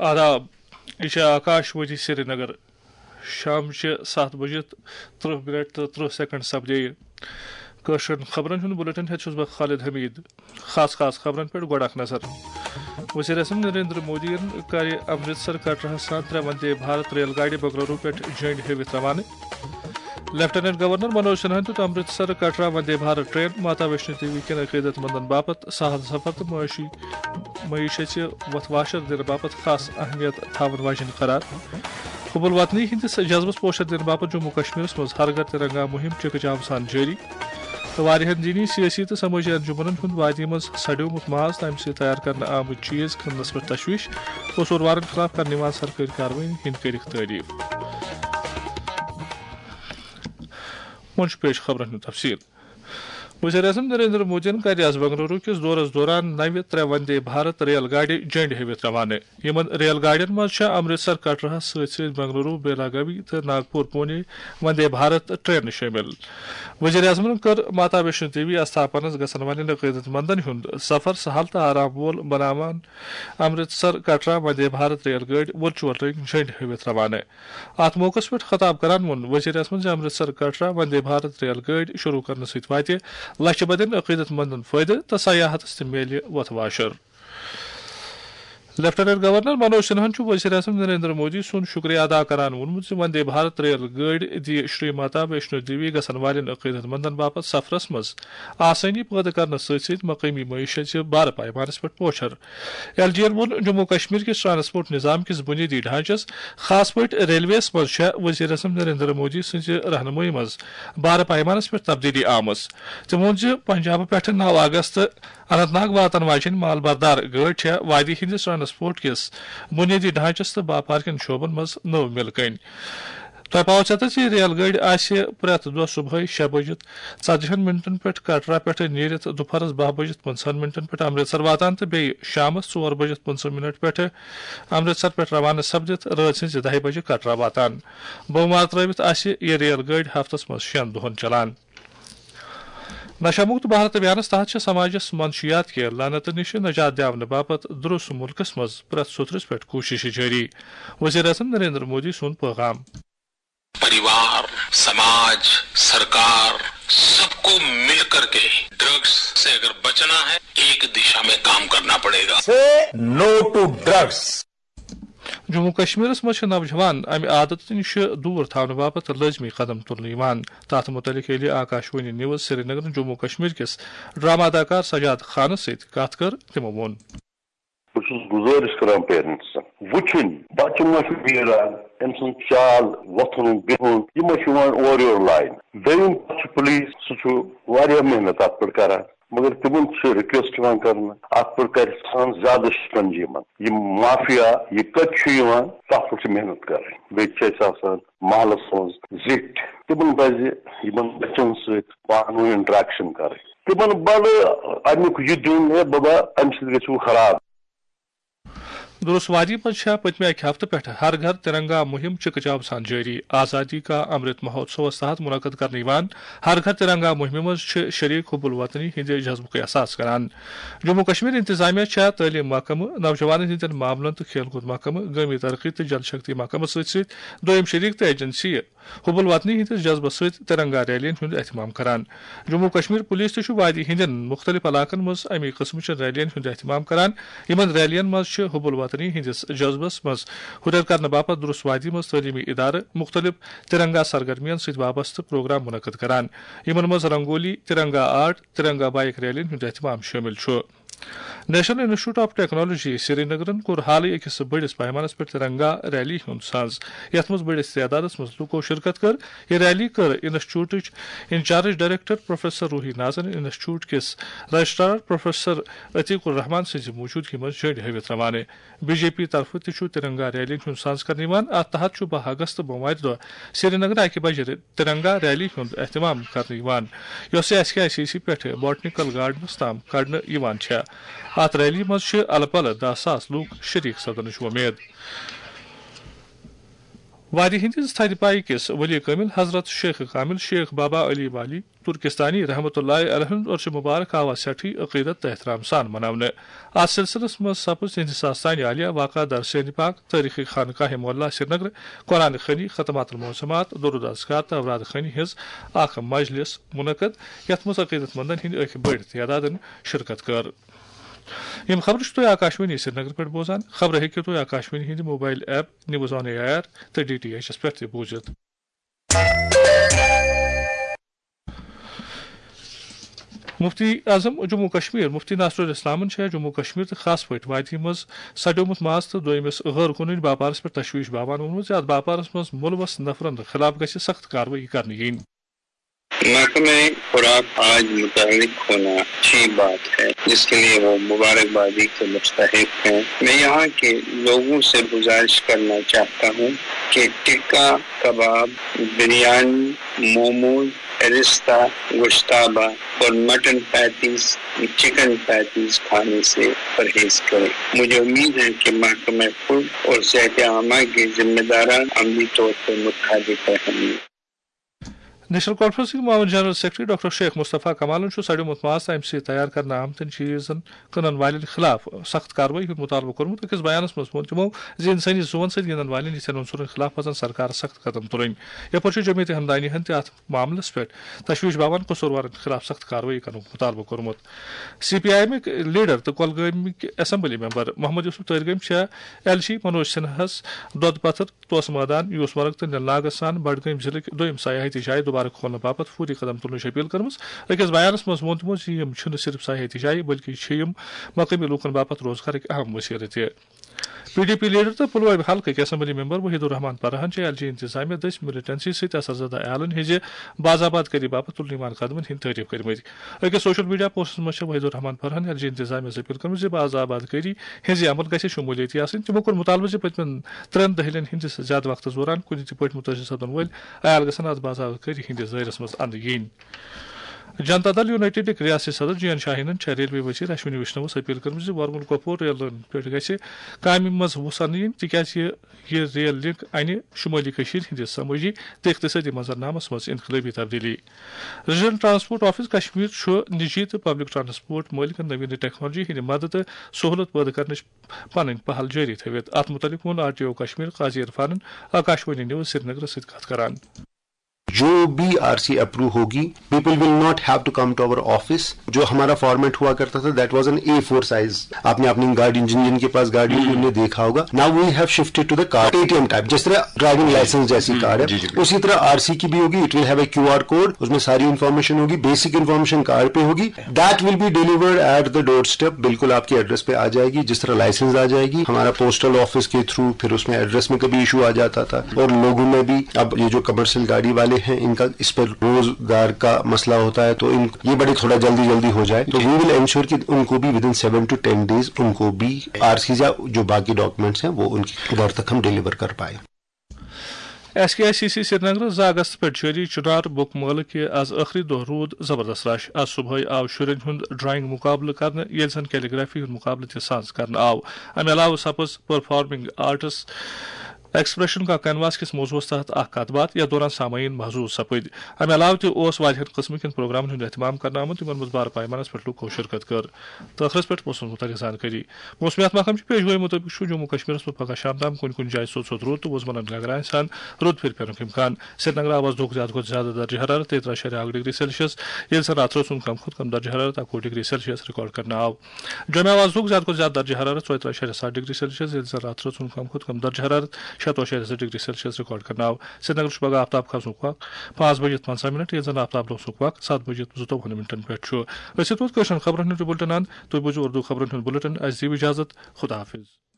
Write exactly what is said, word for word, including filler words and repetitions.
آداب، یہِ چھِ آکاش وانی سرینگر۔ شام چھِ ستھ بجے تہٕ ترٕہ منٹ تہٕ ترٕہ سیکنڈ سپدے۔ کٲشرٮ۪ن خبرن ہُنٛد بلیٹن ہٮ۪تھ چھُس بہٕ خالد حمید۔ خاص خاص خبرن پٮ۪ٹھ گۄڈٕ اکھ نظر۔ وزیر اعظم نریندر مودی یَن کَرِ امرتسر کٹراہَس سان ترٛےٚ وندے بھارت ریل گاڑِ بنگلورو پٮ۪ٹھ جھنڈ ہٲوِتھ روانہٕ۔ لیفٹیننٹ گورنر منوج سنہاہن دیُت امرتسر کٹرا وندے بھارت ٹرین ماتا ویشنو دیوی کٮ۪ن عقیدت مندن باپتھ سہل سفر تہٕ معاشی معیشت وتھ واشر دِنہٕ باپتھ خاص اہمیت تھاون واجیٚنۍ قرار۔ حب الوطنی ہٕنٛدِس جذبس پوچھر دِنہٕ باپتھ جموں کشمیرس منٛز ہر گھر ترنگا مہم چکہ جام سان جٲری۔ تہٕ واریاہن دینی، سیٲسی تہٕ سمٲجی انجمنن ہُنٛد وادی منٛز سڑیومُت ماز تہٕ امہِ سۭتۍ تیار کرنہٕ آمٕتۍ چیز کٕننس پٮ۪ٹھ تشویش، قصوٗروارن خلاف کرنہٕ یِوان سرکٲرۍ کاروٲیی ہٕنٛدۍ کٔرِکھ تعریف۔ وۄنۍ چھُ پیش خبرن ہُنٛد تفصیل۔ وزیر اعظم نریندر مودیَن کَرِ آز بنگلورو کِس دورس دوران نَوِ ترٛےٚ وندے بھارت ریل گاڑِ جنڈ ہٲوِتھ روانہٕ۔ یِمن ریل گاڑٮ۪ن منٛز چھےٚ امرتسر کٹراہَس سۭتۍ سۭتۍ بنگلورو، بیلاگاوی تہٕ ناگپور پونے وندے بھارت ٹرینہٕ شٲمِل۔ وزیر اعظمَن کٔر ماتا ویشنو دیوی استھاپنس گژھن والٮ۪ن عقیدت مندن ہُنٛد سفر سہل تہٕ آرام وول بناوان امرتسر کٹرا وندے بھارت ریل گاڑِ ورچوئل رنگ جنڈ ہٲوِتھ روانہٕ۔ اتھ موقعس پٮ۪ٹھ خطاب کران ووٚن وزیر اعظمن زِ امرتسر کٹرا وندے بھارت ریل گٲڑۍ شروع کرنہٕ سۭتۍ واتہِ لچھِ بدٮ۪ن عقیدت مندن فٲیدٕ تہٕ سیاحتس تہِ میلہِ وتھ واشر۔ لیفٹیننٹ گورنر منوج سنہاہن چھُ وزیر اعظم نریندر مودی سُنٛد شکریہ ادا کران ووٚنمُت زِ وندے بھارت ریل گٲڑۍ دِیہِ شری ماتا ویشنو دیوی گژھن والٮ۪ن عقیدت مندن باپتھ سفرس منٛز آسٲنی پٲدٕ کرنس سۭتۍ سۭتۍ مقٲمی معیشت زِ بارٕ پیمانس پٮ۪ٹھ پوچھر۔ ایل جی ین ووٚن جموں کشمیر کِس ٹرانسپورٹ نظام کِس بنیٲدی ڈھانچس، خاص پٲٹھۍ ریلویس منٛز چھےٚ وزیر اعظم نریندر مودی سٕنٛزِ رہنمٲیی منٛز بارٕ پیمانس پٮ۪ٹھ تبدیلی آمٕژ۔ تٔمۍ ووٚن زِ پنجابہٕ پٮ۪ٹھٕ نَو اگست اننت ناگ واتن واجیٚنۍ مال بردار گٲڑۍ چھےٚ وادی ہٕنٛدِس ٹرانسپورٹ کِس بنیٲدی ڈھانچس تہٕ باپار کٮ۪ن شعبن منٛز نٔو مِل کٔنۍ۔ تۄہہِ پاوو ژےٚ تہٕ زِ یہِ ریل گٲڑۍ آسہِ پرٛٮ۪تھ دۄہ صبحٲے شےٚ بجہِ ژتجی ہن منٹن پٮ۪ٹھ کٹرا پٮ۪ٹھٕ نیٖرِتھ دُپہرس باہ بجہِ پٕنٛژٕہن منٹن پٮ۪ٹھ امرتسر واتان تہٕ بیٚیہِ شامس ژور بجہِ پٕنٛژٕہ منٹ پٮ۪ٹھٕ امرتسر پٮ۪ٹھ روانہٕ سپدِتھ رٲژ ہٕنٛزِ دَہہِ بجہِ کٹرا واتان۔ بوموار ترٲوِتھ آسہِ یہِ ریل گٲڑۍ ہفتس منٛز شٮ۪ن دۄہن چلان۔ نشہ مکت بھارت ابھیانس تحت چھِ سماجس منشیات کہِ لعنتہٕ نِش نجات دِیاونہٕ باپتھ درُس مُلکس منٛز پرٛٮ۪تھ سوٚتھرِس پٮ۪ٹھ کوٗشش جٲری۔ وزیر اعظم نریندر مودی سُنٛد پیغام۔ परिवार, समाज, सरकार, सबको मिलकर के ड्रग्स से अगर बचना है, एक दिशा में काम करना पड़ेगा। Say no to drugs. Jammu کشمیرس منٛز چھِ نوجوان امہِ عادتہٕ نِش دوٗر تھاونہٕ باپتھ لٲزمی قدم تُلنہٕ یِوان۔ تَتھ مُتعلِق ییٚلہِ آکاش وانی نیوز سرینگرن جموں کشمیر کِس ڈرامہ اداکار سجاد خانس سۭتۍ کتھ کٔر، تِمو ووٚن۔ بہٕ چھُس گُزٲرِش کران پیرنٹسن وٕچھُن، بچہٕ ما چھُ ویران، أمۍ سُنٛد چال وۄتھُن بِہُن، یہِ ما چھُ یِوان اورٕ یورٕ لاینہٕ۔ دوٚیِم کتھ چھُ پُلیٖس، سُہ چھُ واریاہ محنت اتھ پٮ۪ٹھ کران، مگر تِمن چھِ رِکویسٹ یِوان کرنہٕ، اتھ پٮ۪ٹھ کرِ سان زیادٕ شکنجی یِمن۔ یِم مافیا، یہِ کتہِ چھُ یِوان، تتھ پٮ۪ٹھ چھِ محنت کرٕنۍ۔ بیٚیہِ چھِ اَسہِ آسان محلس منٛز زِٹھۍ، تِمن پزِ یِمن بچن سۭتۍ پانہٕ ؤنۍ انٹریکشن کرٕنۍ۔ تِمن بڑٕ امیُک یہِ دیُن، ہے بابا، امہِ سۭتۍ گژھِو خراب۔ درُس وادی منٛز چھےٚ پٔتمہِ اکہِ ہفتہٕ پٮ۪ٹھٕ ہر گھر ترنگا مُہِم چکہٕ جام سان جٲری۔ آزادی کا امرت مہوتسوس تحت منعقد کرنہٕ یِوان ہر گھر ترنگا مُہِمہِ منٛز چھِ شریک حب الوطنی ہٕنٛدِ جذبُک احساس کران۔ جموں کشمیر انتظامیہ چھےٚ تعلیٖم محکمہٕ، نوجوانن ہٕنٛدٮ۪ن معاملن تہٕ کھیل کوٗد محکمہٕ، گٲمی ترقی تہٕ جل شکتی محکمس سۭتۍ سۭتۍ دوٚیِم شریک تہٕ ایجنسیہِ حب الوطنی ہٕنٛدِس جذبس سۭتۍ ترنگا ریلین ہُنٛد اہتمام کران۔ جموں کشمیر پولیس تہِ چھُ وادی ہٕنٛدٮ۪ن مُختٔلِف علاقن منٛز اَمی قٕسمٕچن ریلین ہُنٛد اہتمام کران۔ یِمن ریلین منٛز چھِ حب الوطنی ہٕنٛدِس جذبس منٛز ہُرٮ۪ر کرنہٕ باپتھ درُس وادی منٛز تعلیمی ادارٕ مُختٔلِف ترنگا سرگرمین سۭتۍ وابستہٕ پروگرام منعقد کران۔ یِمن منٛز رنگولی، ترنگا آرٹ، ترنگا بائیک ریلین ہُنٛد اہتمام شٲمِل چھُ۔ نیشنل انسٹیٹیوٹ آف ٹیکنالوجی سرینگرن کوٚر حالٕے أکِس بٔڑِس پیمانس پٮ۪ٹھ ترنگا ریلی ہُنٛد ساز، یَتھ منٛز بٔڑِس تعدادس منٛز لوٗکو شرکت کٔر۔ یہِ ریلی کٔر انسٹیٹیوٹٕچ انچارج ڈائریکٹر پروفیسر روحی نازن انسٹیٹیوٹ کِس رجسٹرار پروفیسر عتیق الرحمان سٕنٛزِ موجودگی منٛز جھنڈ ہٲوِتھ روانہٕ۔ بی جے پی طرفہٕ تہِ چھُ ترنگا ریلی ہُنٛد ساز کرنہٕ یِوان۔ اتھ تحت چھُ باہ اگست بوموارِ دۄہ سرینگرٕ اکہِ بجہِ ترنگا ریلی ہُنٛد اہتمام کرنہٕ یِوان، یۄسہٕ S K I C C پٮ۪ٹھٕ بوٹنیکل گارڈنس تام کڑنہٕ یِوان چھےٚ۔ اتھ ریلی منٛز چھِ الہٕ پلہٕ دَہ ساس لوٗکھ شریک سپدنٕچ وۄمید۔ وادی ہندس تھدِ پایہِ کِس ولی کٲمل حضرت شیخ کامل شیخ بابا علی والی ترکستانی رحمت اللہ علیہ ہُنٛد عرش مبارک آو از سٮ۪ٹھٕے عقیدت تہٕ احترام سان مناونہٕ۔ اتھ سلسلس منٛز سپُد تِہنٛدِ ساستانہِ عالیہ واقع در سیندِ پاک تٲریخی خانقاہ معلیٰ سرینگر، قرآن خوانی، ختمات المعظمات، درود اذکار تہٕ اوراد خوانی ہٕنٛز اکھ مجلس منعقد، یتھ منٛز عقیدت مندن ہٕنٛدۍ أکۍ بٔڑۍ تعدادن شرکت کٔر۔ یِم خبرٕ چھِو تُہۍ آکاشوانی سرینگر پٮ۪ٹھ بوزان۔ خبرٕ ہیٚکِو تُہۍ آکاشوانی ہٕنٛدِ mobile app news on A R تہٕ ڈی ٹی ایچ پٮ۪ٹھ تہِ بوٗزِتھ۔ مفتی اعظم جموں کشمیر مفتی ناصر الاسلامن چھےٚ جموں کشمیر تہٕ خاص پٲٹھۍ وادی منٛز سڑیومُت ماز تہٕ دوٚیمِس غٲر قونوٗنی باپارس پٮ۪ٹھ تشویش باوان ووٚنمُت زِ اتھ باپارس منٛز مُلوث نفرن خلاف گژھِ سخت کاروٲیی کرنہٕ یِنۍ۔ محکمہ خوراک آج متحرک ہونا اچھی بات ہے، جس کے لیے وہ مبارکبادی کے مستحق ہیں۔ میں یہاں کے لوگوں سے گزارش کرنا چاہتا ہوں کہ ٹکا کباب، بریانی، موموز، رستہ، گوشتابہ اور مٹن پیٹیز، چکن پیٹیز کھانے سے پرہیز کریں۔ مجھے امید ہے کہ محکمہ فوڈ اور صحت عامہ کے ذمہ داران عملی طور پر متحرک رہیں گے۔ نیشنل کانفرنسٕکۍ معاون جنرل سیکرٹری ڈاکٹر شیخ مصطفیٰ کمالن چھُ سڑیومُت ماز تہٕ اَمہِ سۭتۍ تیار کرنہٕ آمتٮ۪ن چیٖزن کٕنن والٮ۪ن خلاف سخت کاروٲیی ہُنٛد مطالبہٕ کوٚرمُت۔ أکِس بیانس منٛز ووٚن تِمو زِ اِنسٲنی زُوَن سۭتۍ گِنٛدن والٮ۪ن یِتھٮ۪ن عنصرن خلاف پزن سرکارس سخت قدم تُلٕنۍ۔ یپٲرۍ چھُ جمعیت ہمدانی ہن تہِ اتھ معاملس پٮ۪ٹھ تشویش باوان قصوٗروارن خلاف سخت کاروٲیی کرنُک مطالبہٕ کوٚرمُت۔ سی پی آئی ایم کۍ لیڈر تہٕ کۄلگٲمِکۍ assembly member Mohammad Yousuf Tarigami چھےٚ ایل سی منوج سنہاہس دۄدٕ پتھر، توسہٕ مٲدان، یوسمرگ تہٕ نِل ناگس سان بڈگٲمۍ ضلعٕکۍ دوٚیِم سیاحتی جایہِ دوبارٕ کھولنہٕ باپتھ فوری قدم تُلنٕچ اپیل کٔرمٕژ۔ أکِس بیانس منٛز ووٚن تِمو زِ یِم چھِنہٕ صرف سیاحتی جایہِ، بلکہِ چھِ یِم مقٲمی لوٗکن باپتھ روزگارٕکۍ اہم وسیلہٕ تہِ۔ پی ڈی پی لیڈر تہٕ پلوامہِ حلقٕکۍ اسمبلی ممبر وحید الرحمان پرہن چھِ ایل جی انتظامیہ دٔسۍ ملیٹنسی سۭتۍ اثر زدہ عیالن ہٕنٛزِ باز آباد کٲری باپتھ تُلنہٕ یِوان قدمن ہٕنٛدۍ تعریف کٔرمٕتۍ۔ أکِس سوشل میڈیا پوسٹس منٛز چھِ وحید الرحمان پرہن ایل جی انتظامیہ سۭتۍ اپیل کٔرمٕژ زِ باز آباد کٲری ہٕنٛزِ عمل گژھِ شمولیتی آسٕنۍ۔ تِمو کوٚر مطالبہٕ زِ پٔتمٮ۪ن ترٛٮ۪ن دٔہلٮ۪ن ہٕنٛدِس زیادٕ وقتس دوران کُنہِ تہِ پٲٹھۍ مُتٲثر سپدن وٲلۍ عیال گژھن اتھ باز آباد کٲری ہٕنٛدِس دٲیرس منٛز اننہٕ یِنۍ۔ جنتا دل یونائیٹڈٕکۍ ریاستی صدر جی این شاہینن چھےٚ ریلوے وزیر اشونی وشنوس اپیل کٔرمٕژ زِ ورمُل کۄپور ریلن پٮ۪ٹھ گژھِ کامہِ منٛز وُژھ اننہٕ یِنۍ، تِکیازِ یہِ ریل لنک انہِ شمٲلی کٔشیٖر ہٕنٛدِس سمٲجی تہٕ اقتصٲدی منظرنامس منٛز انقلٲبی تبدیلی۔ ریجنل ٹرانسپورٹ آفس کشمیر چھُ نجی تہٕ پبلک ٹرانسپورٹ مٲلکن نوین ٹیکنالوجی ہٕنٛدِ مدد تہٕ سہولت پٲدٕ کرنٕچ پنٕنۍ پہل جٲری تھٲوِتھ۔ اتھ مُتعلق ووٚن آر ٹی او کشمیر قاضی عرفانن آکاشوانی نیوز سرینگرس سۭتۍ کتھ کران۔ جو بھی آر سی اپروو ہوگی، people will not have to come to our office. جو ہمارا فارمیٹ ہوا کرتا تھا, that was an A four size. آپ نے اپنی گاڑی, جن جن کے پاس گاڑی تھی, انہیں دیکھا ہوگا. Now we have shifted to the card, A T M type, جس طرح ڈرائیونگ لائسنس جیسی کارڈ ہے, اسی طرح آر سی کی بھی ہوگی. It will have a Q R code, اس میں ساری انفارمیشن ہوگی, بیسک انفارمیشن کارڈ پہ ہوگی. That will be delivered at the door step, بالکل آپ کے ایڈریس پہ آ جائے گی, جس طرح لائسنس آ جائے گی. ہمارا پوسٹل آفس کے تھرو پھر اس میں ایڈریس میں کبھی ایشو آ جاتا تھا, اور لوگوں میں بھی, اب یہ جو کمرشل گاڑی والے ہیں, ان کا اس پر روزگار کا مسئلہ ہوتا ہے, تو ان, یہ بڑی تھوڑا جلدی جلدی ہو جائے, تو we will ensure کہ ان کو بھی within seven to ten days ان کو بھی آر سی یا جو باقی ڈاکومنٹس ہیں, وہ ان کے گھر تک ہم ڈیلیور کر پائیں. S K I C C Srinagar, زٕ اگست پٮ۪ٹھ جٲری چنار بُک مٲلہٕ کہِ از ٲخری دۄہ روٗد زبردست رش۔ از صبحٲے آو شُرٮ۪ن ہُنٛد ڈرائنگ مقابلہٕ کرنہٕ، ییٚلہِ زن کیلیگرافی ہُنٛد مقابلہٕ تہِ سانز کرنہٕ آو۔ امہِ علاوٕ سپٕز پرفارمنگ آرٹس ایکسپریشن کا کینواس کِس موضوعس تحت اکھ کتھ باتھ، یتھ دوران سامعین محظوظ سپٕدۍ۔ امہِ علاوٕ تہِ اوس واریاہن قٕسمہٕ کٮ۪ن پروگرامن ہُنٛد اہتمام کرنہٕ آمُت، یِمن منٛز بارٕ پیمانس پٮ۪ٹھ لوٗکو شرکت کٔر۔ تہٕ ٲخرس پٮ۪ٹھ موسمس مُتعلق زانکٲری۔ موسمیات محکمہٕ چہِ پیشگویی مُطٲبِق چھُ جموں کشمیرس منٛز پگہہ شام تام کُنہِ کُنہِ جایہِ سوٚت سوٚت روٗد تہٕ وُزملن گگراین سان روٗد پھِرِ پینُک امکان۔ سرینگر آو از دۄہُک زیادٕ کھۄتہٕ زیادٕ درجہ حرارت تیٚیہِ ترٛہ اَشاریہ اکھ ڈگری سیلسیس، ییٚلہِ زن راتس اوس کم کھۄتہٕ کم درجہ حرارت اَکوُہ ڈگری سیلسیس ریکارڈ کرنہٕ آو۔ جوٚمہِ آو از دۄہُک زیادٕ کھۄتہٕ زیادٕ درجہ حرارت ژۄیہِ ترٛہ اَشاریہ ستھ ڈگری سیلسیس، ییٚلہِ زن راتس اوس کم کھۄتہٕ کم درجہ حرارت شیٚتوُہ اَشاریہ زٕ ڈگری سیلسیس ریکارڈ کرنہٕ آو۔ سرینگر چھُ پگہہ آفتاب کھسنُک وق پانٛژھ بجِتھ پنٛژاہ منٹ، ییٚلہِ زن آفتاب لوسنُک وق ستھ بجِتھ زٕتووُہن منٹن پٮ۪ٹھ چھُ۔ أسۍ ووت کٲشرٮ۪ن خبرن ہُنٛد بُلٹن اند۔ تُہۍ بوٗزِو اردو خبرن ہُنٛد بُلٹن۔ اَسہِ دِیِو اجازت۔ خدا حافظ۔